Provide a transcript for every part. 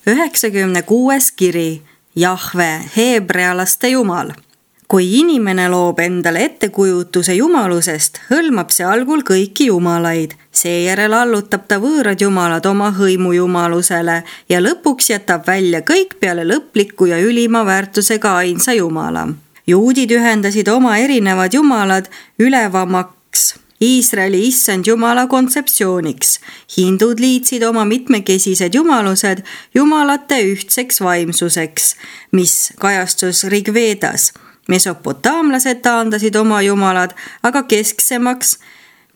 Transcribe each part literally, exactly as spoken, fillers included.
üheksakümne kuues kiri, Jahve, heebrealaste jumal. Kui inimene loob endale ettekujutuse jumalusest, hõlmab see algul kõiki jumalaid. Seejärel allutab ta võõrad jumalad oma hõimu jumalusele ja lõpuks jätab välja kõik peale lõpliku ja ülima väärtusega ainsa jumala. Juudid ühendasid oma erinevad jumalad ülevamaks Iisraeli issand jumala kontseptsiooniks. Hindud liitsid oma mitmekesised jumalused jumalate ühtseks vaimsuseks, mis kajastus Rigvedas. Mesopotaamlased taandasid oma jumalad aga kesksemaks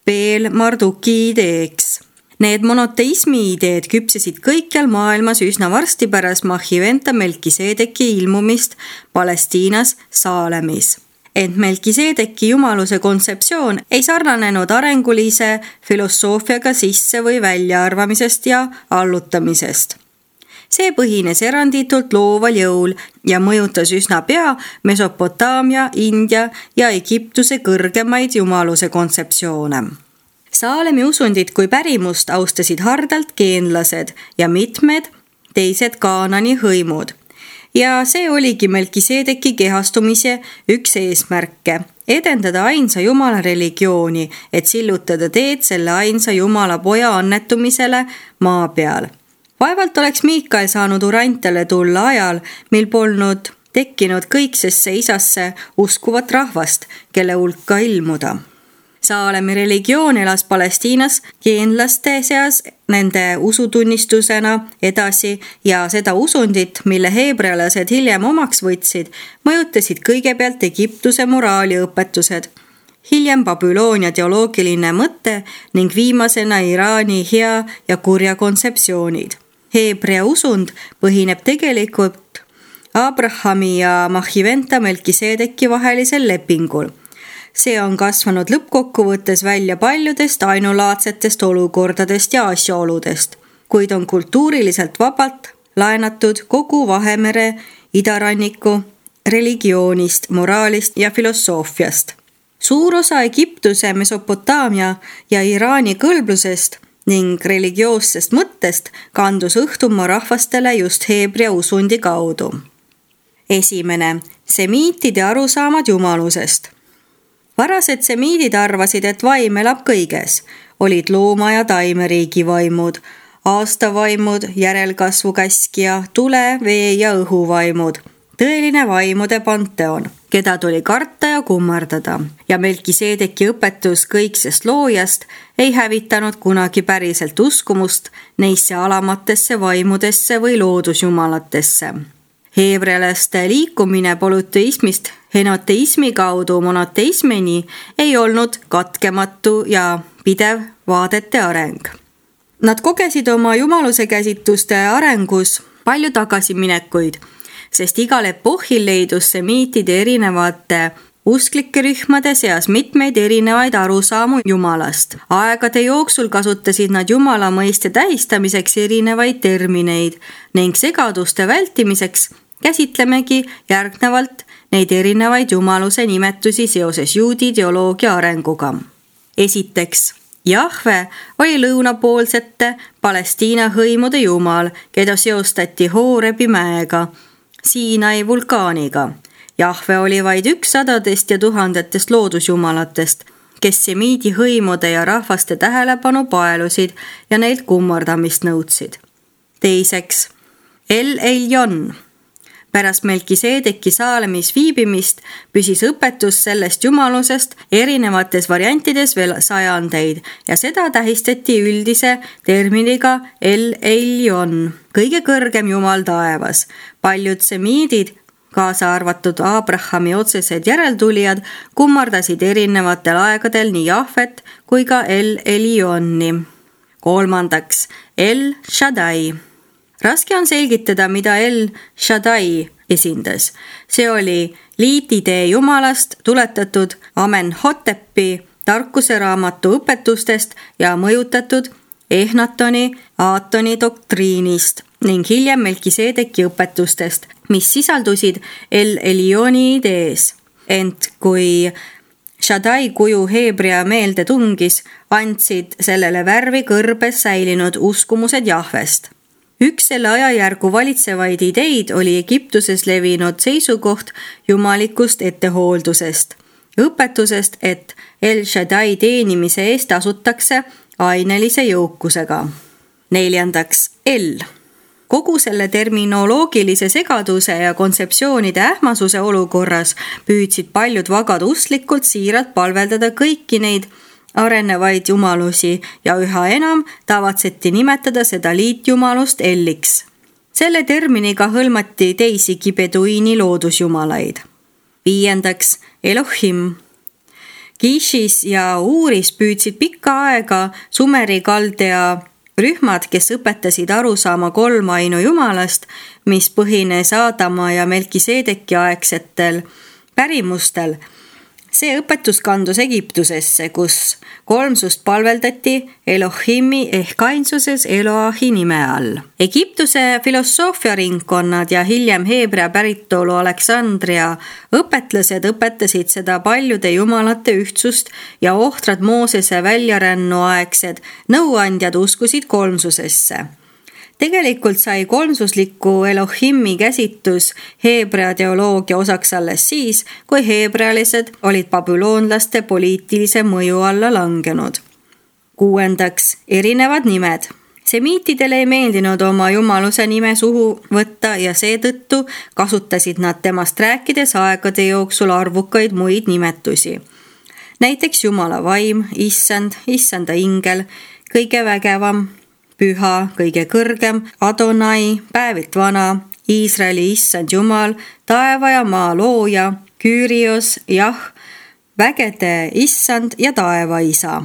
Beel Marduki ideeks. Need monoteismi ideed küpsesid kõikjal maailmas üsna varsti pärast Mahiventa Melkiseedeki ilmumist Palestiinas Saalemis. Ent Melkiseedeki jumaluse kontseptsioon ei sarnanenud arengulise filosoofiaga sisse- või väljaarvamisest ja allutamisest. See põhines eranditult looval jõul ja mõjutas üsna pea Mesopotaamia, India ja Egiptuse kõrgemaid jumaluse kontseptsioone. Saalemi usundit kui pärimust austasid hardalt geenlased ja mitmed teised Kaanani hõimud. Ja see oligi Melkiseedeki kehastumise üks eesmärke, edendada ainsa jumala religiooni, et sillutada teed selle ainsa jumala poja annetumisele maa peal. Vaevalt oleks Miikael saanud Urantale tulla ajal, mil polnud tekkinud kõiksesse isasse uskuvat rahvast, kelle hulka ilmuda. Saalemi religioon elas Palestiinas geenlaste seas nende usutunnistusena edasi ja seda usundit, mille heebrealased hiljem omaks võtsid, mõjutasid kõigepealt Egiptuse moraaliõpetused, hiljem Babyloonia teoloogiline mõte ning viimasena Iraani hea ja kurja kontseptsioonid. Heebrea usund põhineb tegelikult Abrahami ja Mahiventa Melkiseedeki vahelisel lepingul. See on kasvanud lõppkokkuvõttes välja paljudest ainulaadsetest olukordadest ja asjaoludest, kuid on kultuuriliselt vabalt laenatud kogu Vahemere idaranniku religioonist, moraalist ja filosoofiast. Suur osa Egiptuse, Mesopotaamia ja Iraani kõlblusest ning religioossest mõttest kandus õhtumaa rahvastele just heebrea usundi kaudu. Esimene, semiitide arusaamad jumalusest. Varased semiidid arvasid, et vaim elab kõiges. Olid looma- ja taimeriigi vaimud, aastavaimud, järelkasvu käskija, tule, vee ja õhuvaimud. Tõeline vaimude panteon, keda tuli karta ja kummardada. Ja Melkiseedeki õpetus kõiksest loojast ei hävitanud kunagi päriselt uskumust neisse alamatesse vaimudesse või loodusjumalatesse. Heebrealaste liikumine polüteismist henoteismi kaudu monoteismini ei olnud katkematu ja pidev vaadete areng. Nad kogesid oma jumaluse käsitluste arengus palju tagasiminekuid, sest igal epohhil leidus semiitide erinevate usklike rühmade seas mitmeid erinevaid arusaamu jumalast. Aegade jooksul kasutasid nad jumala mõiste tähistamiseks erinevaid termineid ning segaduste vältimiseks käsitlemegi järgnevalt neid erinevaid jumaluse nimetusi seoses juudi teoloogia arenguga. Esiteks, Jahve oli lõunapoolsete Palestiina hõimude jumal, keda seostati Hoorebi mäega, Siinai vulkaaniga. Jahve oli vaid üks sadadest ja tuhandetest loodusjumalatest, kes semiidi hõimude ja rahvaste tähelepanu paelusid ja neilt kummardamist nõudsid. Teiseks, El Eljon. Pärast Melkiseedeki Saalemis viibimist püsis õpetus sellest jumalusest erinevates variantides veel sajandeid ja seda tähistati üldise terminiga El Eljon, kõige kõrgem jumal taevas. Paljud semiidid, kaasa arvatud Abrahami otsesed järeltulijad, kummardasid erinevatel aegadel nii Jahvet kui ka El Elionni. Kolmandaks, El Shaddai. Raske on selgitada, mida El Shaddai esindas. See oli liitidee jumalast tuletatud Amenhotepi tarkuseraamatu õpetustest ja mõjutatud Ehnatoni Aatoni doktriinist ning hiljem Melkiseedeki õpetustest, mis sisaldusid El Elioni idees. Ent kui Shaddai kuju heebrea meelde tungis, andsid sellele värvi kõrbes säilinud uskumused Jahvest. Üks selle ajajärgu valitsevaid ideid oli Egiptuses levinud seisukoht jumalikust ettehooldusest, õpetusest, et El Shaddai teenimise eest tasutakse ainelise jõukusega. Neljandaks, El. Kogu selle terminoloogilise segaduse ja kontseptsioonide ähmasuse olukorras püüdsid paljud vagad usklikult siiralt palveldada kõiki neid arenevaid jumalusi ja üha enam tavatseti nimetada seda liitjumalust Elliks. Selle terminiga hõlmati teisigi beduiini loodusjumalaid. Viiendaks, Elohim. Kishis ja Uuris püüdsid pikka aega Sumeri kaldea rühmad, kes õpetasid aru saama kolmainu jumalast, mis põhines Aadama ja Melkiseedeki aegsetel pärimustel. See õpetus kandus Egiptusesse, kus kolmsust palveldati Elohimi ehk ainsuses Eloahi nime all. Egiptuse filosoofiaringkonnad ja hiljem Heebrea päritolu Aleksandria õpetlased õpetasid seda paljude jumalate ühtsust ja ohtrad Moosese väljarännu aegsed nõuandjad uskusid kolmsusesse. Tegelikult sai kolmsusliku Elohimi käsitus heebrea teoloogia osaks alles siis, kui heebrealised olid babüloonlaste poliitilise mõju alla langenud. Kuuendaks, erinevad nimed. Semiitidele ei meeldinud oma jumaluse nime suhu võtta ja seetõttu kasutasid nad temast rääkides aegade jooksul arvukaid muid nimetusi. Näiteks Jumala vaim, issand, issanda ingel, kõige vägevam, püha, kõige kõrgem, Adonai, päevilt vana, Iisraeli issand Jumal, taeva ja maa looja, Küürios, jah, vägede issand ja taeva isa.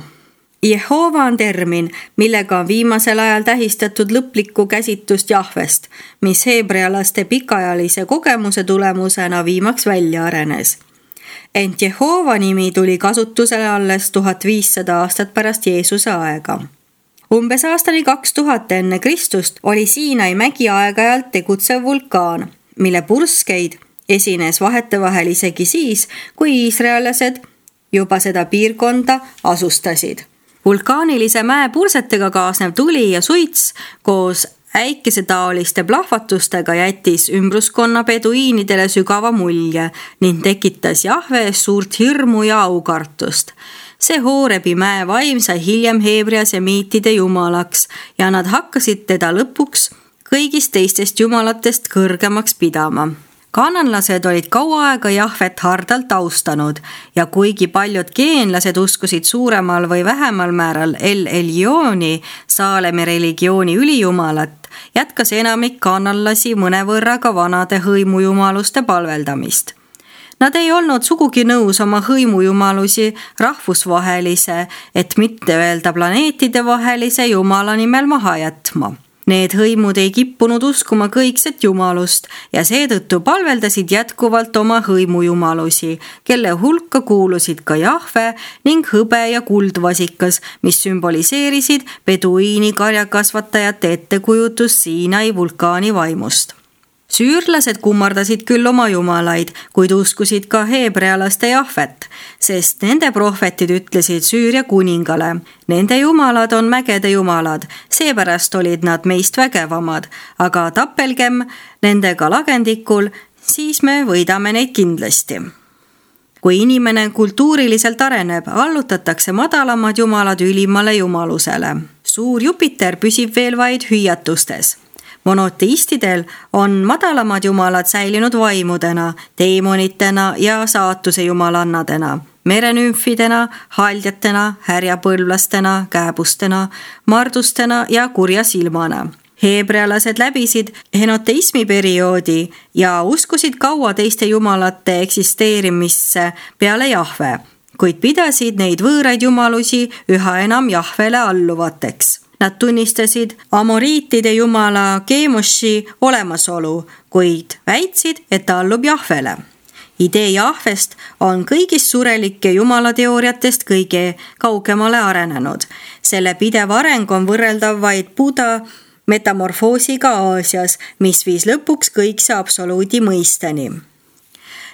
Jehova on termin, millega on viimasel ajal tähistatud lõplikku käsitust Jahvest, mis heebrealaste pikaajalise kogemuse tulemusena viimaks välja arenes. Ent Jehova nimi tuli kasutusele alles tuhat viissada aastat pärast Jeesuse aega. Umbes aastani kaks tuhat enne Kristust oli Siinai mägi aeg-ajalt tegutsev vulkaan, mille purskeid esines vahetevahel isegi siis, kui iisraellased juba seda piirkonda asustasid. Vulkaanilise mäe pursetega kaasnev tuli ja suits koos äikesetaoliste plahvatustega jättis ümbruskonna beduiinidele sügava mulje ning tekitas Jahves suurt hirmu ja aukartust. See Hoorebi mäe vaim sai hiljem heebrea semiitide jumalaks ja nad hakkasid teda lõpuks kõigist teistest jumalatest kõrgemaks pidama. Kananlased olid kaua aega Jahvet hardalt austanud ja kuigi paljud geenlased uskusid suuremal või vähemal määral El Elioni, Saalemi religiooni ülijumalat, jätkas enamik kananlasi mõnevõrra ka vanade hõimujumaluste palveldamist. Nad ei olnud sugugi nõus oma hõimujumalusi rahvusvahelise, et mitte öelda planeetide vahelise jumala nimel maha jätma. Need hõimud ei kippunud uskuma kõikset jumalust ja seetõttu palveldasid jätkuvalt oma hõimujumalusi, kelle hulka kuulusid ka Jahve ning hõbe ja kuldvasikas, mis sümboliseerisid beduiini karjakasvatajate ettekujutust Siinai vulkaani vaimust. Süürlased kummardasid küll oma jumalaid, kuid uskusid ka heebrealaste Jahvet, sest nende prohvetid ütlesid Süüria kuningale. Nende jumalad on mägede jumalad, seepärast olid nad meist vägevamad, aga tapelgem nendega lagendikul, siis me võidame neid kindlasti. Kui inimene kultuuriliselt areneb, allutatakse madalamad jumalad ülimale jumalusele. Suur Jupiter püsib veel vaid hüüatustes. Monoteistidel on madalamad jumalad säilinud vaimudena, teemonitena ja saatuse jumalannadena, merenümfidena, haljatena, härjapõlvlastena, kääbustena, mardustena ja kurja silmana. Heebrealased läbisid henoteismi perioodi ja uskusid kaua teiste jumalate eksisteerimisse peale Jahve, kuid pidasid neid võõraid jumalusi üha enam Jahvele alluvateks. Nad tunnistasid amoriitide jumala Kemoshi olemasolu, kuid väitsid, et ta allub Jahvele. Idee Jahvest on kõigist surelike jumalateooriatest kõige kaugemale arenenud. Selle pidev areng on võrreldav vaid Buda metamorfoosiga Aasias, mis viis lõpuks kõikse absoluudi mõisteni.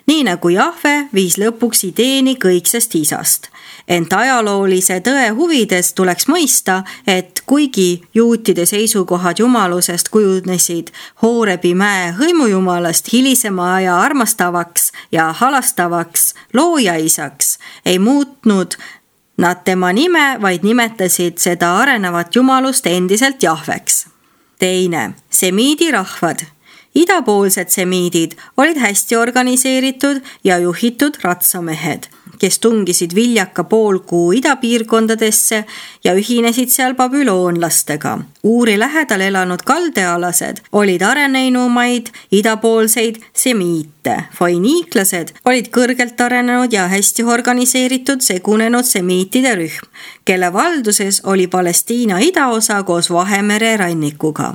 nii nagu Jahve viis lõpuks ideeni kõiksest isast. Ent ajaloolise tõe huvides tuleks mõista, et kuigi juutide seisukohad jumalusest kujunesid Hoorebi mäe hõimujumalast hilisema aja armastavaks ja halastavaks loojaisaks, ei muutnud nad tema nime, vaid nimetasid seda arenevat jumalust endiselt Jahveks. Teine, semiidi rahvad. Idapoolsed semiidid olid hästi organiseeritud ja juhitud ratsamehed, kes tungisid viljaka poolkuu idapiirkondadesse ja ühinesid seal babüloonlastega. Uuri lähedal elanud kaldealased olid areneinumaid idapoolseid semiite. Foiniiklased olid kõrgelt arenenud ja hästi organiseeritud segunenud semiitide rühm, kelle valduses oli Palestiina idaosa koos Vahemere rannikuga.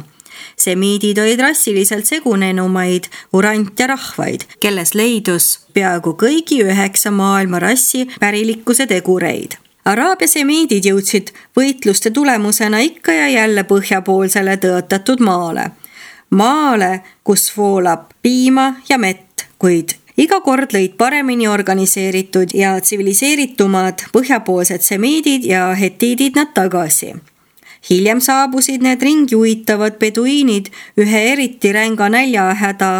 Semiidid olid rassiliselt segunenumaid urantja rahvaid, kelles leidus peaaegu kõigi üheksa maailma rassi pärilikkuse tegureid. Araabia semiidid jõudsid võitluste tulemusena ikka ja jälle põhjapoolsele tõotatud maale. Maale, kus voolab piima ja mett, kuid iga kord lõid paremini organiseeritud ja tsiviliseeritumad põhjapoolsed semiidid ja hetiidid nad tagasi. Hiljem saabusid need ringi uitavad beduiinid ühe eriti ränga näljahäda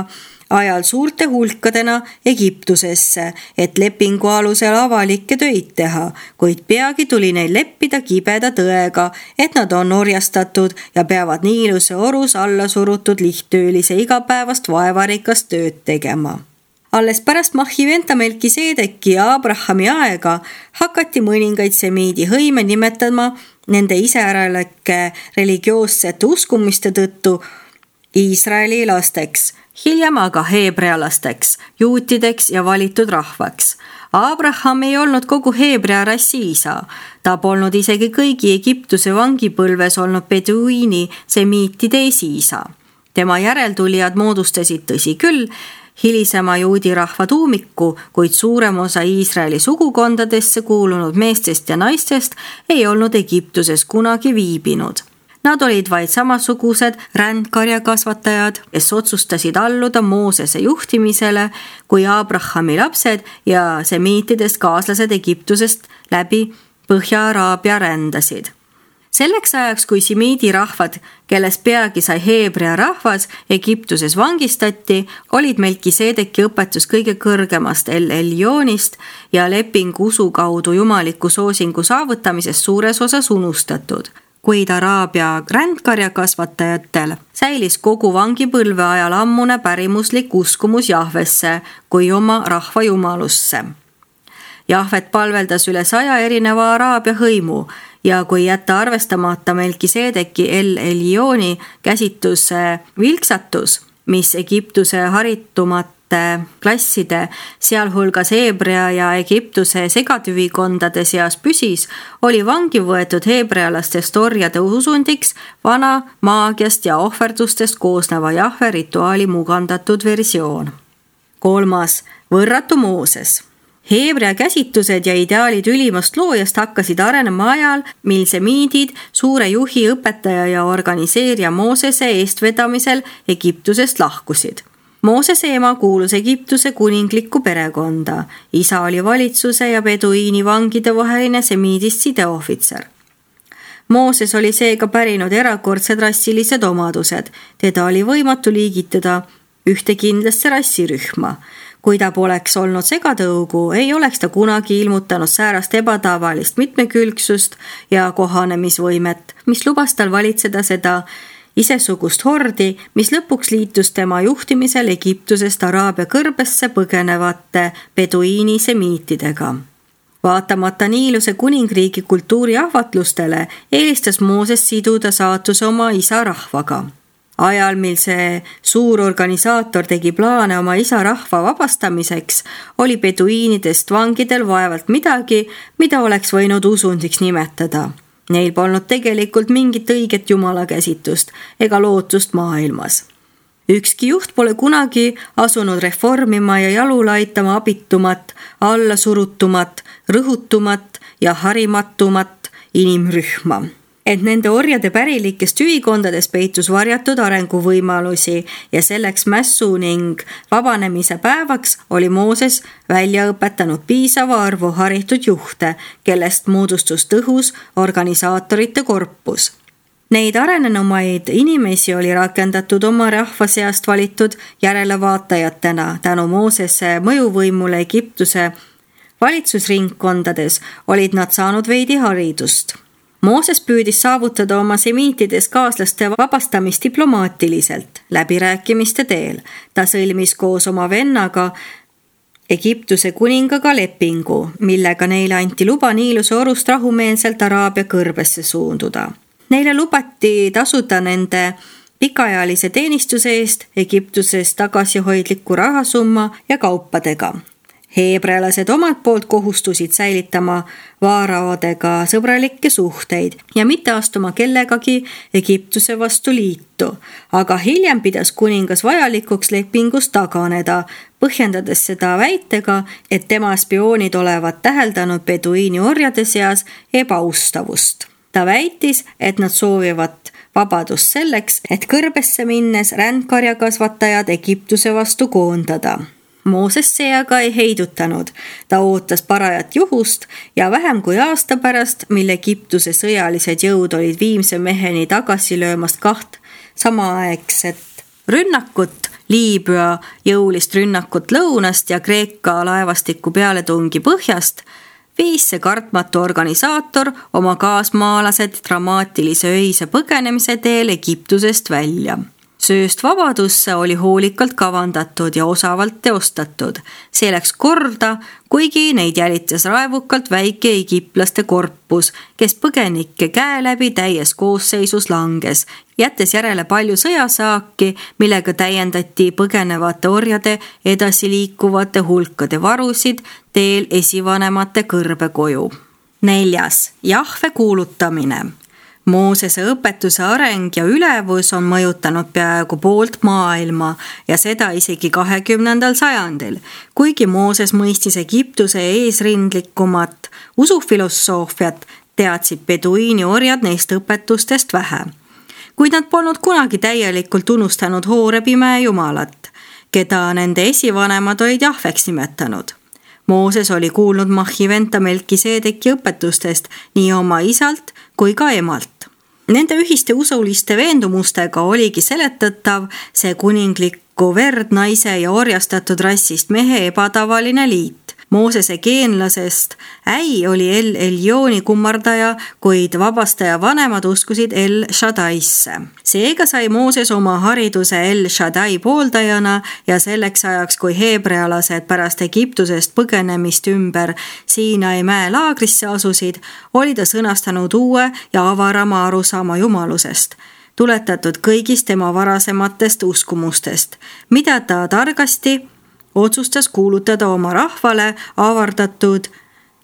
ajal suurte hulkadena Egiptusesse, et lepingu alusel avalikke töid teha, kuid peagi tuli neil leppida kibeda tõega, et nad on orjastatud ja peavad Niiluse orus alla surutud lihttöölise igapäevast vaevarikast tööd tegema. Alles pärast Mahhiventa Melkiseedeki ja Abrahami aega hakati mõningaid semiidi hõime nimetama nende iseäralike religioossete uskumiste tõttu Iisraeli lasteks, hiljem aga heebrea lasteks, juutideks ja valitud rahvaks. Abraham ei olnud kogu heebrea rassi isa. Ta polnud isegi kõigi Egiptuse vangipõlves olnud beduiini semiitide esiisa. Tema järeltulijad moodustasid, tõsi küll, hilisema juudi rahva tuumiku, kuid suurem osa Iisraeli sugukondadesse kuulunud meestest ja naistest ei olnud Egiptuses kunagi viibinud. Nad olid vaid samasugused rändkarjakasvatajad, kes otsustasid alluda Moosese juhtimisele kui Abrahami lapsed ja semiitidest kaaslased Egiptusest läbi Põhja-Araabia rändasid. Selleks ajaks, kui semiidi rahvad, kellest peagi sai heebrea rahvas, Egiptuses vangistati, olid Melkiseedeki õpetus kõige kõrgemast El Elionist ja leping usu kaudu jumaliku soosingu saavutamisest suures osas unustatud. Kuid Araabia rändkarjakasvatajatel säilis kogu vangipõlve ajal ammune pärimuslik uskumus Jahvesse kui oma rahva jumalusse. Jahvet palveldas üle saja erineva Araabia hõimu ja kui jätta arvestamata Melkiseedeki El Elioni käsitluse vilksatus, mis Egiptuse haritumate klasside, sealhulgas heebrea ja Egiptuse segatüvikondade seas püsis, oli vangi võetud heebrealastest orjade usundiks vana maagiast ja ohverdustest koosneva Jahve rituaali mugandatud versioon. Kolmas, võrratu Mooses. Heebrea käsitlused ja ideaalid ülimast loojast hakkasid arenema ajal, mil semiidid suure juhi, õpetaja ja organiseerija Moosese eestvedamisel Egiptusest lahkusid. Moosese ema kuulus Egiptuse kuninglikku perekonda. Isa oli valitsuse ja beduiini vangide vaheline semiidist sideohvitser. Mooses oli seega pärinud erakordsed rassilised omadused. Teda oli võimatu liigitada ühte kindlasse rassirühma. Kui ta poleks olnud segatõugu, ei oleks ta kunagi ilmutanud säärast ebatavalist mitmekülgsust ja kohanemisvõimet, mis lubas tal valitseda seda isesugust hordi, mis lõpuks liitus tema juhtimisel Egiptusest Araabia kõrbesse põgenevate beduiini semiitidega. Vaatamata Niiluse kuningriigi kultuuri ahvatlustele eelistas Mooses siduda saatuse oma isa rahvaga. Ajal, mil see suur organisaator tegi plaane oma isa rahva vabastamiseks, oli beduiinidest vangidel vaevalt midagi, mida oleks võinud usundiks nimetada. Neil polnud tegelikult mingit õiget jumalakäsitust ega lootust maailmas. Ükski juht pole kunagi asunud reformima ja jalule aitama abitumat, allasurutumat, rõhutumat ja harimatumat inimrühma. et nende orjade pärilikest ühikondades peitus varjatud arenguvõimalusi ja selleks mässu ning vabanemise päevaks oli Mooses välja õpetanud piisava arvu haritud juhte, kellest moodustus tõhus organisaatorite korpus. Neid arenenumaid inimesi oli rakendatud oma rahva seast valitud järelevaatajatena tänu Moosese mõjuvõimule Egiptuse valitsusringkondades olid nad saanud veidi haridust. Mooses püüdis saavutada oma semiitides kaaslaste vabastamist diplomaatiliselt, läbirääkimiste teel. Ta sõlmis koos oma vennaga Egiptuse kuningaga lepingu, millega neile anti luba Niiluse orust rahumeelselt Araabia kõrbesse suunduda. Neile lubati tasuda nende pikaajalise teenistuse eest Egiptuses tagasihoidliku rahasumma ja kaupadega. Heebrealased omalt poolt kohustusid säilitama vaaraodega sõbralikke suhteid ja mitte astuma kellegagi Egiptuse vastu liitu, aga hiljem pidas kuningas vajalikuks lepingust taganeda, põhjendades seda väitega, et tema spioonid olevat täheldanud beduiini orjade seas ebaustavust. Ta väitis, et nad soovivad vabadust selleks, et kõrbesse minnes rändkarjakasvatajad Egiptuse vastu koondada. Mooses see aga ei heidutanud. Ta ootas parajat juhust ja vähem kui aasta pärast, mil Egiptuse sõjalised jõud olid viimse meheni tagasi löömast kaht samaaegset rünnakut, Liibüa jõulist rünnakut lõunast ja Kreeka laevastiku pealetungi põhjast, viis see kartmatu organisaator oma kaasmaalased dramaatilise öise põgenemise teel Egiptusest välja. Sööst vabadusse oli hoolikalt kavandatud ja osavalt teostatud. See läks korda, kuigi neid jälitas raevukalt väike egiptlaste korpus, kes põgenike käe läbi täies koosseisus langes, jättes järele palju sõjasaaki, millega täiendati põgenevate orjade edasiliikuvate hulkade varusid teel esivanemate kõrbekoju. Neljas, Jahve kuulutamine. Moosese õpetuse areng ja ülevus on mõjutanud peaaegu poolt maailma ja seda isegi kahekümnendal sajandil, kuigi Mooses mõistis Egiptuse eesrindlikumat usufilosoofiat, teadsid beduiini orjad neist õpetustest vähe. Kuid nad polnud kunagi täielikult unustanud Hoorebi mäe jumalat, keda nende esivanemad olid Jahveks nimetanud. Mooses oli kuulnud Mahhiventa Melkiseedeki õpetustest nii oma isalt kui ka emalt. Nende ühiste usuliste veendumustega oligi seletatav see kuninglikku verd naise ja orjastatud rassist mehe ebatavaline liit. Moosese geenlasest äi oli El Eljooni kummardaja, kuid vabastaja vanemad uskusid El Shaddaisse. Seega sai Mooses oma hariduse El Shaddai pooldajana ja selleks ajaks, kui heebrealased pärast Egiptusest põgenemist ümber Siinai mäe laagrisse asusid, oli ta sõnastanud uue ja avarama arusaama jumalusest, tuletatud kõigist tema varasematest uskumustest, mida ta targasti otsustas kuulutada oma rahvale avardatud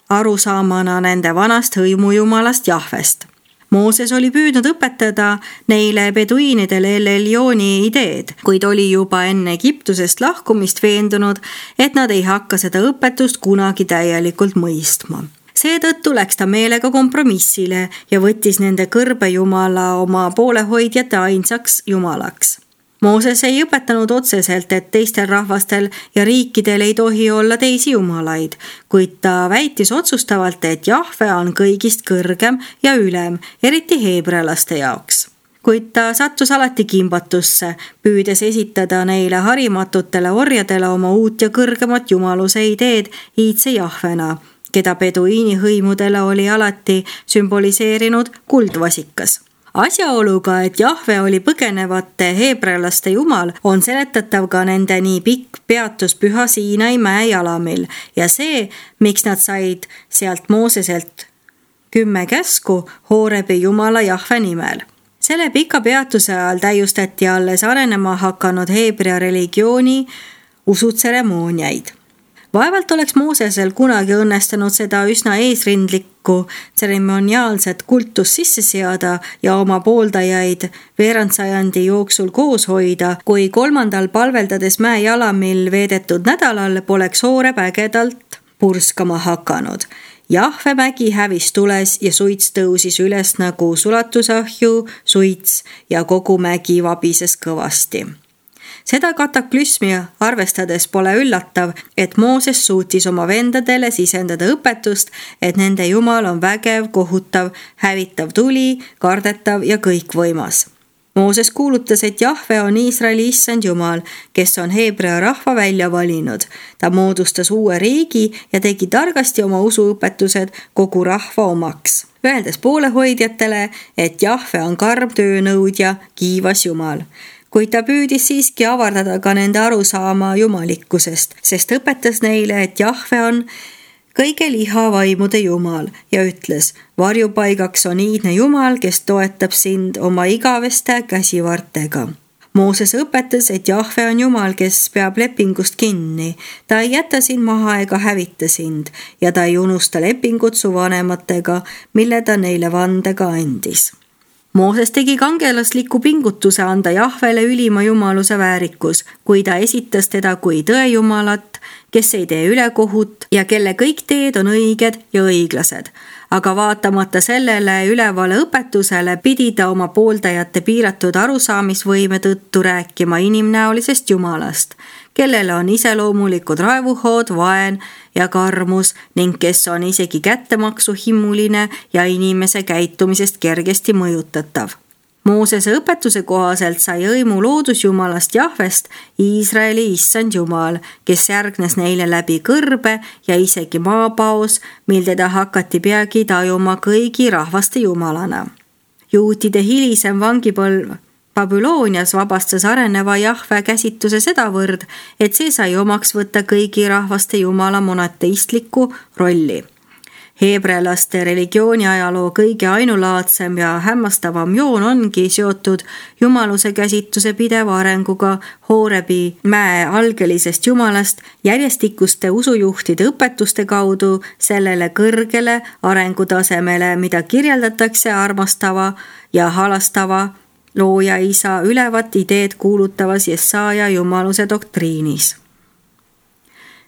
arusaamana nende vanast hõimujumalast Jahvest. Mooses oli püüdnud õpetada neile beduiinidele El Eljooni ideed, kuid oli juba enne Egiptusest lahkumist veendunud, et nad ei hakka seda õpetust kunagi täielikult mõistma. Seetõttu läks ta meelega kompromissile ja võttis nende kõrbejumala oma poolehoidjate ainsaks jumalaks. Mooses ei õpetanud otseselt, et teistel rahvastel ja riikidel ei tohi olla teisi jumalaid, kuid ta väitis otsustavalt, et Jahve on kõigist kõrgem ja ülem, eriti heebrealaste jaoks. Kuid ta sattus alati kimbatusse, püüdes esitada neile harimatutele orjadele oma uut ja kõrgemat jumaluse ideed iidse Jahvena, keda beduiini hõimudele oli alati sümboliseerinud kuldvasikas. Asjaoluga, et Jahve oli põgenevate heebrealaste jumal, on seletatav ka nende nii pikk peatus püha Siinai mäe jalamil ja see, miks nad said sealt Mooseselt kümme käsku Hoorebi jumala Jahve nimel. Selle pika peatuse ajal täiustati alles arenema hakanud heebrea religiooni usutseremooniaid. Vaevalt oleks Moosesel kunagi õnnestunud seda üsna eesrindlikku tseremoniaalset kultust sisse seada ja oma pooldajaid veerandsajandi jooksul koos hoida, kui kolmandal palveldades mäe jalamil veedetud nädalal poleks Hooreb ägedalt purskama hakanud. Jahve mägi hävis tules ja suits tõusis üles nagu sulatusahju suits ja kogu mägi vabises kõvasti. Seda kataklüsmi arvestades pole üllatav, et Mooses suutis oma vendadele sisendada õpetust, et nende Jumal on vägev, kohutav, hävitav tuli, kardetav ja kõikvõimas. Mooses kuulutas, et Jahve on Iisraeli issand Jumal, kes on Heebrea rahva välja valinud. Ta moodustas uue riigi ja tegi targasti oma usuõpetused kogu rahva omaks, öeldes poolehoidjatele, et Jahve on karm töönõudja, kiivas Jumal. Kuid ta püüdis siiski avardada ka nende arusaama jumalikkusest, sest õpetas neile, et Jahve on kõige lihavaimude Jumal ja ütles, varjupaigaks on iidne Jumal, kes toetab sind oma igaveste käsivartega. Mooses õpetas, et Jahve on Jumal, kes peab lepingust kinni. Ta ei jäta sind maha ega hävita sind ja ta ei unusta lepingut su vanematega, mille ta neile vandega andis. Mooses tegi kangelasliku pingutuse anda Jahvele ülima jumaluse väärikus, kui ta esitas teda kui tõejumalat, kes ei tee ülekohut ja kelle kõik teed on õiged ja õiglased. Aga vaatamata sellele ülevale õpetusele pidi ta oma pooldajate piiratud arusaamisvõime tõttu rääkima inimnäolisest Jumalast, kellele on iseloomulikud raevuhood, vaen ja karmus ning kes on isegi kättemaksu himuline ja inimese käitumisest kergesti mõjutatav. Moosese õpetuse kohaselt sai õimu loodusjumalast Jahvest Iisraeli issand Jumal, kes järgnes neile läbi kõrbe ja isegi maapaos, mil teda hakati peagi tajuma kõigi rahvaste jumalana. Juutide hilisem vangipõlv Babüloonias vabastas areneva Jahve käsituse sedavõrd, et see sai omaks võtta kõigi rahvaste jumala monoteistliku rolli. Heebrealaste religiooni ajaloo kõige ainulaadsem ja hämmastavam joon ongi seotud jumaluse käsituse pideva arenguga Hoorebi mäe algelisest jumalast järjestikuste usujuhtide õpetuste kaudu sellele kõrgele arengutasemele, mida kirjeldatakse armastava ja halastava looja isa ülevat ideed kuulutavas Jesaja jumaluse doktriinis.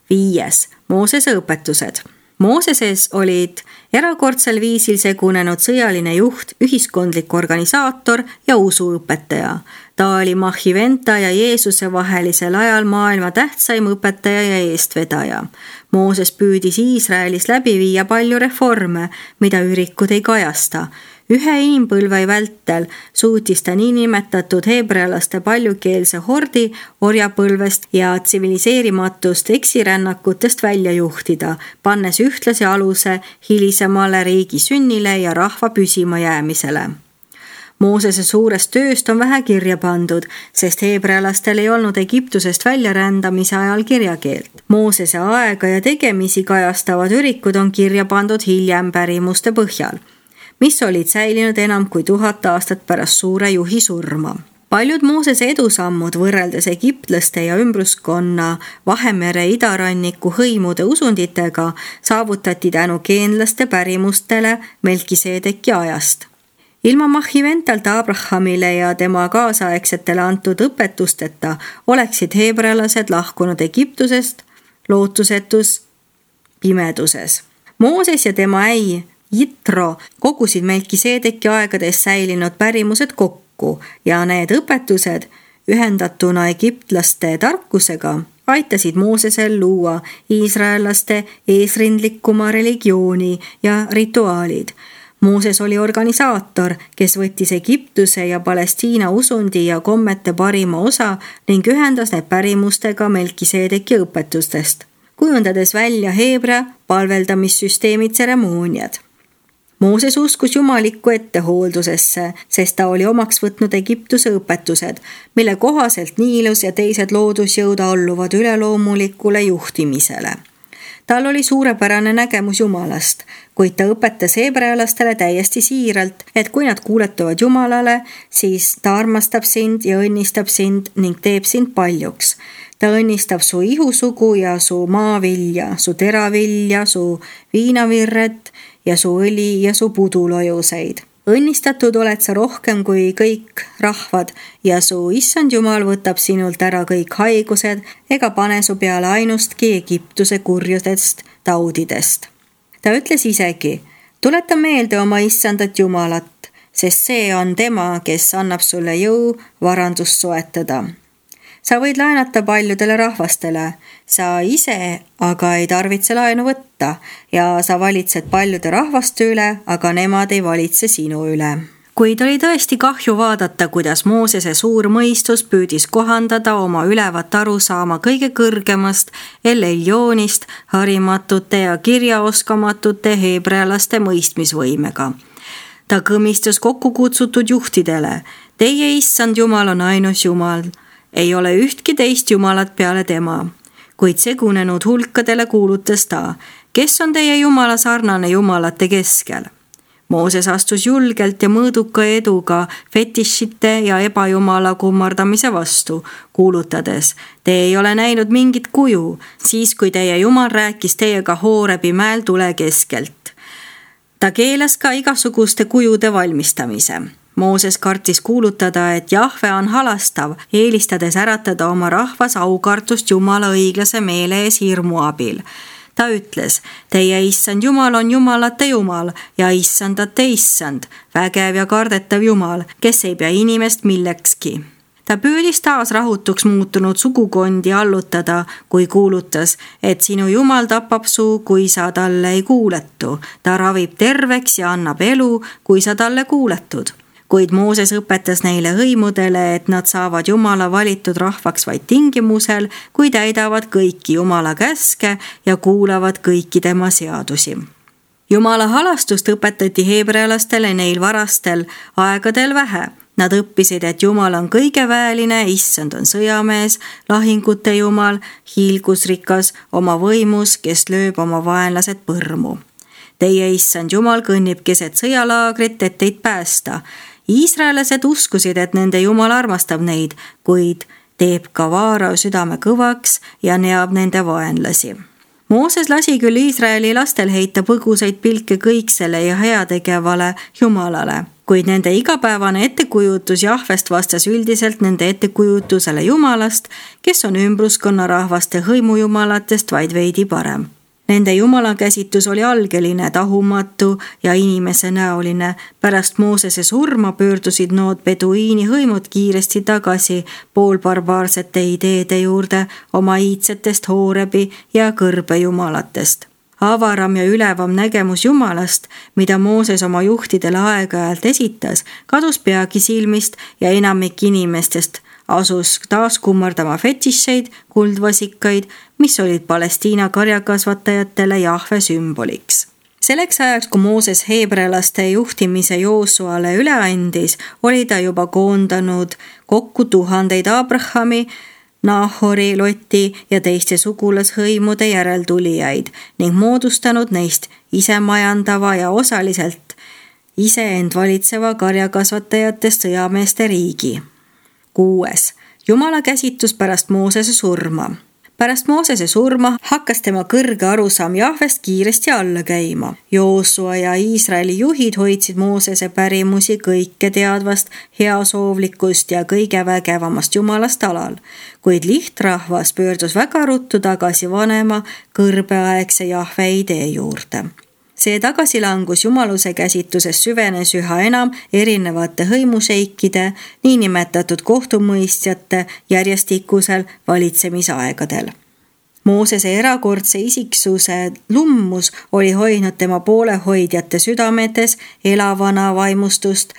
Viies. Moosese õpetused. Mooseses olid erakordsel viisil segunenud sõjaline juht, ühiskondlik organisaator ja usuõpetaja. Ta oli Mahiventa ja Jeesuse vahelisel ajal maailma tähtsaim õpetaja ja eestvedaja. Mooses püüdis Iisraelis läbi viia palju reforme, mida ürikud ei kajasta. Ühe inimpõlve vältel suutis ta niinimetatud heebrealaste paljukeelse hordi orjapõlvest ja tsiviliseerimatust eksirännakutest välja juhtida, pannes ühtlasi aluse hilisemale riigi sünnile ja rahva püsima jäämisele. Moosese suurest tööst on vähe kirja pandud, sest heebrealastel ei olnud Egiptusest väljarändamise ajal kirjakeelt. Moosese aega ja tegemisi kajastavad ürikud on kirja pandud hiljem pärimuste põhjal, mis olid säilinud enam kui tuhat aastat pärast suure juhi surma. Paljud Moosese edusammud võrreldes egiptlaste ja ümbruskonna Vahemere idaranniku hõimude usunditega saavutati tänu geenlaste pärimustele Melkiseedeki ajast. Ilma Mahiventalta Abrahamile ja tema kaasaegsetele antud õpetusteta oleksid heebrealased lahkunud Egiptusest lootusetus pimeduses. Mooses ja tema äi Jitro kogusid Melkiseedeki aegades säilinud pärimused kokku ja need õpetused ühendatuna egiptlaste tarkusega aitasid Moosesel luua iisraellaste eesrindlikuma religiooni ja rituaalid. Mooses oli organisaator, kes võttis Egiptuse ja Palestiina usundi ja kommete parima osa ning ühendas need pärimustega Melkiseedeki õpetustest, kujundades välja heebrea palveldamissüsteemi tseremooniad. Mooses uskus jumalikku ettehooldusesse, sest ta oli omaks võtnud Egiptuse õpetused, mille kohaselt Niilus ja teised loodusjõud alluvad üleloomulikule juhtimisele. Tal oli suurepärane nägemus Jumalast, kuid ta õpetas heebrealastele täiesti siiralt, et kui nad kuuletuvad Jumalale, siis ta armastab sind ja õnnistab sind ning teeb sind paljuks. Ta õnnistab su ihusugu ja su maavilja, su teravilja, su viinavirret ja su õli ja su pudulojuseid. Õnnistatud oled sa rohkem kui kõik rahvad ja su issand Jumal võtab sinult ära kõik haigused ega pane su peale ainustki Egiptuse kurjudest taudidest. ta ütles isegi, tuleta meelde oma issandat Jumalat, sest see on tema, kes annab sulle jõu varandust soetada. Sa võid laenata paljudele rahvastele, sa ise aga ei tarvitse laenu võtta ja sa valitsed paljude rahvaste üle, aga nemad ei valitse sinu üle. Kuid oli tõesti kahju vaadata, kuidas Moosese suur mõistus püüdis kohandada oma ülevat arusaama kõige kõrgemast El-Eljoonist harimatute ja kirjaoskamatute heebrealaste mõistmisvõimega. Ta kõmistas kokku kutsutud juhtidele, teie issand Jumal on ainus Jumal, ei ole ühtki teist Jumalat peale tema. Kuid segunenud hulkadele kuulutas ta, kes on teie Jumala sarnane Jumalate keskel. Mooses astus julgelt ja mõõduka eduga fetišite ja ebajumala kummardamise vastu, kuulutades, te ei ole näinud mingit kuju, siis kui teie Jumal rääkis teiega Hoorebi mäel tule keskelt. Ta keelas ka igasuguste kujude valmistamise. Mooses kartis kuulutada, et Jahve on halastav, eelistades äratada oma rahvas aukartust Jumala õiglase meele ees hirmu abil. Ta ütles, teie issand Jumal on Jumalate Jumal ja issandate issand, vägev ja kardetav Jumal, kes ei pea inimest millekski. Ta püüdis taas rahutuks muutunud sugukondi allutada, kui kuulutas, et sinu Jumal tapab su, kui sa talle ei kuuletu. Ta ravib terveks ja annab elu, kui sa talle kuuletud. Kuid Mooses õpetas neile hõimudele, et nad saavad Jumala valitud rahvaks vaid tingimusel, kui täidavad kõiki Jumala käske ja kuulavad kõiki tema seadusi. Jumala halastust õpetati heebrealastele neil varastel aegadel vähe. Nad õppisid, et Jumal on kõigeväeline, issand on sõjamees, lahingute Jumal, hiilgusrikas, oma võimus, kes lööb oma vaenlased põrmu. Teie issand Jumal kõnnib keset sõjalaagrit, et teid päästa. Iisraelased uskusid, et nende Jumal armastab neid, kuid teeb ka Vaarao südame kõvaks ja neab nende vaenlasi. Mooses lasi küll Iisraeli lastel heita põgusaid pilke kõiksele ja heategevale Jumalale, kuid nende igapäevane ettekujutus Jahvest vastas üldiselt nende ettekujutusele Jumalast, kes on ümbruskonna rahvaste hõimujumalatest vaid veidi parem. Nende Jumala käsitus oli algeline, tahumatu ja inimese näoline. Pärast Moosese surma pöördusid nood beduiini hõimud kiiresti tagasi poolbarbaarsete ideede juurde oma iidsetest Hoorebi ja kõrbe jumalatest. Avaram ja ülevam nägemus Jumalast, mida Mooses oma juhtidele aeg-ajalt esitas, kadus peagi silmist ja enamik inimestest asus taas kummardama fetišeid, kuldvasikaid, mis olid Palestiina karjakasvatajatele Jahve sümboliks. Selleks ajaks, kui Mooses heebrealaste juhtimise Joosuale üle andis, oli ta juba koondanud kokku tuhandeid Abrahami, Nahori, Loti ja teiste sugulashõimude järeltulijaid ning moodustanud neist isemajandava ja osaliselt iseend valitseva karjakasvatajatest sõjameeste riigi. Kuues. Jumala käsitus pärast Moosese surma. Pärast Moosese surma hakkas tema kõrge arusaam Jahvest kiiresti alla käima. Joosua ja Iisraeli juhid hoidsid Moosese pärimusi kõike teadvast, heasoovlikust ja kõige vägevamast Jumalast alal, kuid lihtrahvas pöördus väga ruttu tagasi vanema kõrbeaegse Jahve idee juurde. See tagasilangus jumaluse käsituses süvenes üha enam erinevate hõimuseikide, niinimetatud kohtumõistjate järjestikusel valitsemisaegadel. Moosese erakordse isiksuse lummus oli hoidnud tema poolehoidjate südametes elavana vaimustust,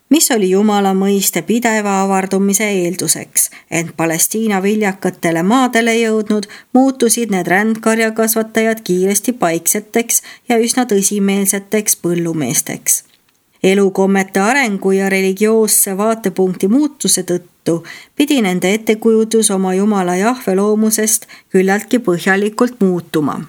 mis oli Jumala mõiste pideva avardumise eelduseks, ent Palestiina viljakatele maadele jõudnud muutusid need rändkarjakasvatajad kiiresti paikseteks ja üsna tõsimeelseteks põllumeesteks. Elukommete arengu ja religioosse vaatepunkti muutuse tõttu pidi nende ettekujutus oma Jumala Jahve loomusest küllaltki põhjalikult muutuma.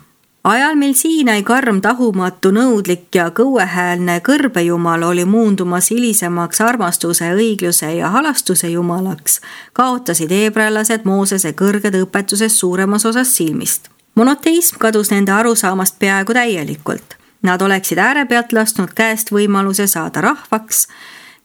Ajal, mil Siinai karm tahumatu nõudlik ja kõuehäälne kõrbejumal oli muundumas hilisemaks armastuse, õigluse ja halastuse jumalaks, kaotasid heebrealased Moosese kõrged õpetuses suuremas osas silmist. Monoteism kadus nende arusaamast peaaegu täielikult. Nad oleksid äärepealt lasknud käest võimaluse saada rahvaks,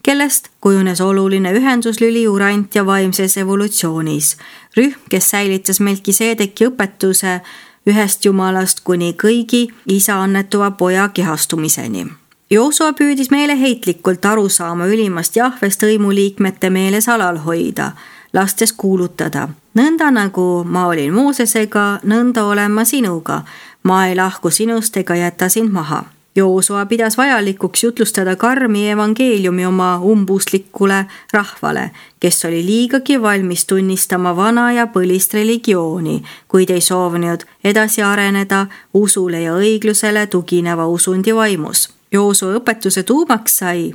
kellest kujunes oluline ühenduslüli urant ja vaimses evolutsioonis. Rühm, kes säilitas Melkiseedeki õpetuse ühest jumalast kuni kõigi isa annetuva poja kehastumiseni. Joosua püüdis meeleheitlikult aru saama ülimast Jahvest hõimuliikmete meeles alal hoida, lastes kuulutada: nõnda nagu ma olin Moosesega, nõnda olen ma sinuga, ma ei lahku sinust ega jäta sind maha. Joosua pidas vajalikuks jutlustada karmi evangeeliumi oma umbuslikule rahvale, kes oli liigagi valmis tunnistama vana ja põlist religiooni, kuid ei soovinud edasi areneda usule ja õiglusele tugineva usundi vaimus. Joosua õpetuse tuumaks sai: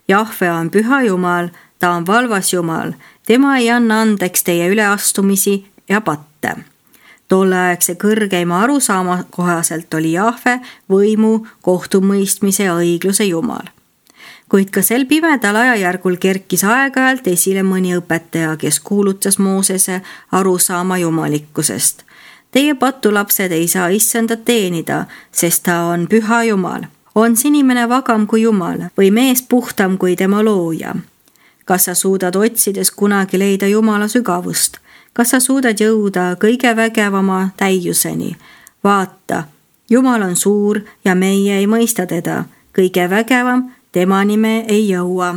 Jahve on püha Jumal, ta on valvas Jumal, tema ei anna andeks teie üleastumisi ja patte. Tolleaegse kõrgeima arusaama kohaselt oli Jahve võimu, kohtumõistmise ja õigluse Jumal. Kuid ka sel pimedal ajajärgul kerkis aeg-ajalt esile mõni õpetaja, kes kuulutas Moosese arusaama jumalikkusest. Teie patulapsed ei saa issandat teenida, sest ta on püha Jumal. On inimene vagam kui Jumal või mees puhtam kui tema looja? Kas sa suudad otsides kunagi leida Jumala sügavust? Kas sa suudad jõuda kõige vägevama täiuseni? Vaata, Jumal on suur ja meie ei mõista teda. Kõige vägevam, temani me ei jõua.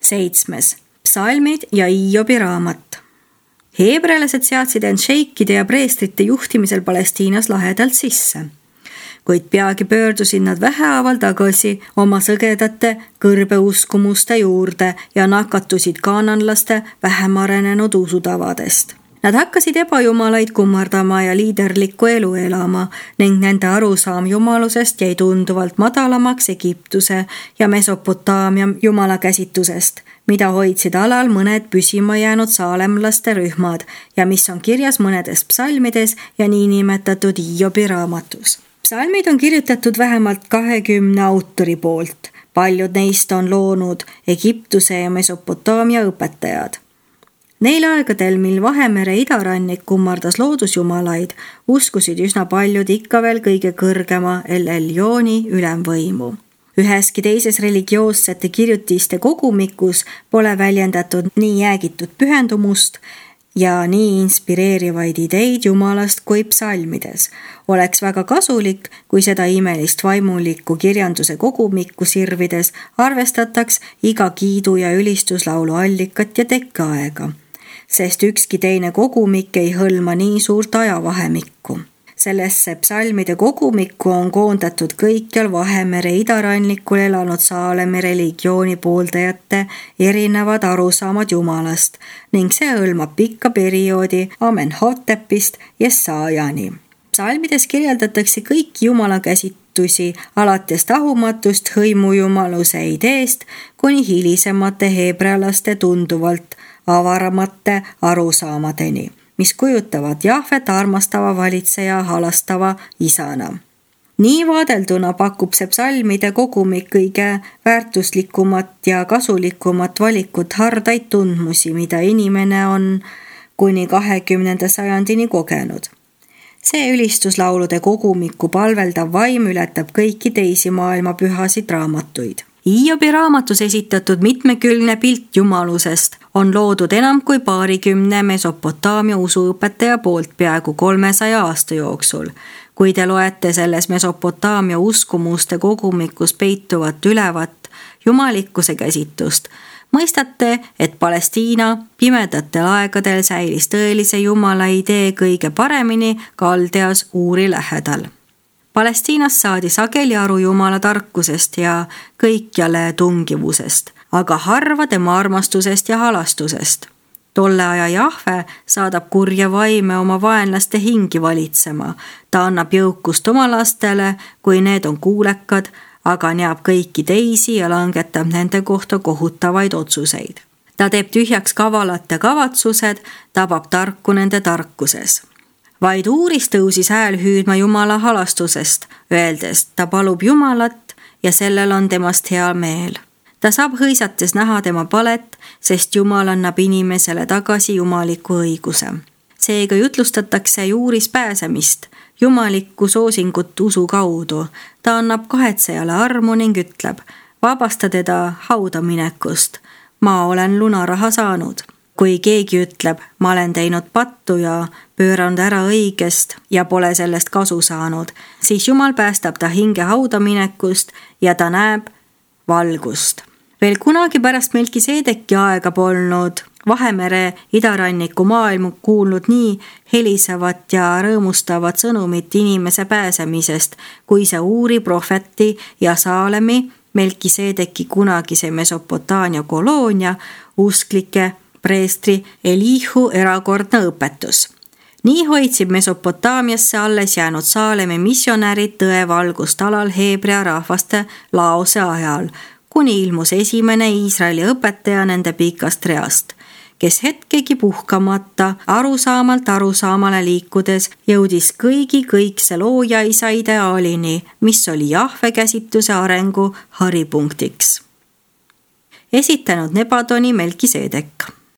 Seitsmes. Psalmid ja Hiobi raamat. Heebrealased seadsid end šeikide ja preestrite juhtimisel Palestiinas lahedalt sisse. Kuid peagi pöördusid nad vähehaaval tagasi oma sõgedate kõrbeuskumuste juurde ja nakatusid kaananlaste vähem arenenud usutavadest. Nad hakkasid ebajumalaid kummardama ja liiderlikku elu elama ning nende arusaam jumalusest jäi tunduvalt madalamaks Egiptuse ja Mesopotaamia jumalakäsitusest, mida hoidsid alal mõned püsima jäänud saalemlaste rühmad ja mis on kirjas mõnedes psalmides ja niinimetatud Hiobi raamatus. Psalmid on kirjutatud vähemalt kahekümne autori poolt. Paljud neist on loonud Egiptuse ja Mesopotaamia õpetajad. Neil aegadel, mil Vahemere idarannik kummardas loodusjumalaid, uskusid üsna paljud ikka veel kõige kõrgema El Elyooni ülemvõimu. Üheski teises religioossete kirjutiste kogumikus pole väljendatud nii jäägitud pühendumust ja nii inspireerivaid ideid Jumalast kui psalmides. Oleks väga kasulik, kui seda imelist vaimulikku kirjanduse kogumikku sirvides arvestataks iga kiidu ja ülistuslaulu allikat ja tekkeaega, sest ükski teine kogumik ei hõlma nii suurt ajavahemikku. Sellesse psalmide kogumikku on koondatud kõikjal Vahemere idarannikul elanud Saalemi religiooni pooldajate erinevad arusaamad Jumalast ning see hõlmab pikka perioodi Amenhotepist Jesaajani. Psalmides kirjeldatakse kõiki Jumala käsitusi alates tahumatust hõimujumaluse ideest kuni hilisemate heebrealaste tunduvalt avaramate arusaamadeni, mis kujutavad Jahvet armastava valitseja halastava isana. Nii vaadelduna pakub see psalmide kogumik kõige väärtuslikumat ja kasulikumat valikut hardaid tundmusi, mida inimene on kuni kahekümnenda sajandini kogenud. See ülistuslaulude kogumiku palveldav vaim ületab kõiki teisi maailma pühasid raamatuid. Hiobi raamatus esitatud mitmekülgne pilt jumalusest on loodud enam kui paarikümne Mesopotaamia usuõpetaja poolt peaaegu kolmesaja aasta jooksul. Kui te loete selles Mesopotaamia uskumuste kogumikus peituvat ülevat jumalikkuse käsitust, mõistate, et Palestiina pimedatel aegadel säilis tõelise Jumala idee kõige paremini Kaldeas Uuri lähedal. Palestiinas saadi sageli aru Jumala tarkusest ja kõikjale tungivusest, aga harva tema armastusest ja halastusest. Tolle aja Jahve saadab kurja vaime oma vaenlaste hingi valitsema. Ta annab jõukust oma lastele, kui need on kuulekad, aga neab kõiki teisi ja langetab nende kohta kohutavaid otsuseid. Ta teeb tühjaks kavalate kavatsused, tabab tarku nende tarkuses. Vaid Uuris tõusis hääl hüüdma Jumala halastusest, öeldes, ta palub Jumalat ja sellel on temast hea meel. Ta saab hõisates näha tema palet, sest Jumal annab inimesele tagasi jumaliku õiguse. Seega jutlustatakse Juuris pääsemist, jumalikku soosingut usu kaudu. Ta annab kahetsejale armu ning ütleb, vabasta teda hauda minekust. Ma olen lunaraha saanud. kui keegi ütleb, ma olen teinud pattu ja pööranud ära õigest ja pole sellest kasu saanud, siis Jumal päästab ta hinge hauda minekust ja ta näeb valgust. Veel kunagi pärast Melkiseedeki aega polnud Vahemere idaranniku maailm kuulnud nii helisevat ja rõõmustavat sõnumit inimese pääsemisest, kui see Uuri prohveti ja Saalemi, Melkiseedeki kunagise Mesopotaamia koloonia, usklike preestri Elihu erakordne õpetus. Nii hoidsid Mesopotaamiasse alles jäänud Saalemi missionärid tõevalgust alal heebrea rahvaste laose ajal, kuni ilmus esimene Iisraeli õpetaja nende pikast reast, kes hetkegi puhkamata, arusaamalt arusaamale liikudes jõudis kõigi kõikse looja isa ideaalini, mis oli Jahve käsitluse arengu haripunktiks. Esitanud Nebadoni Melkiseedek.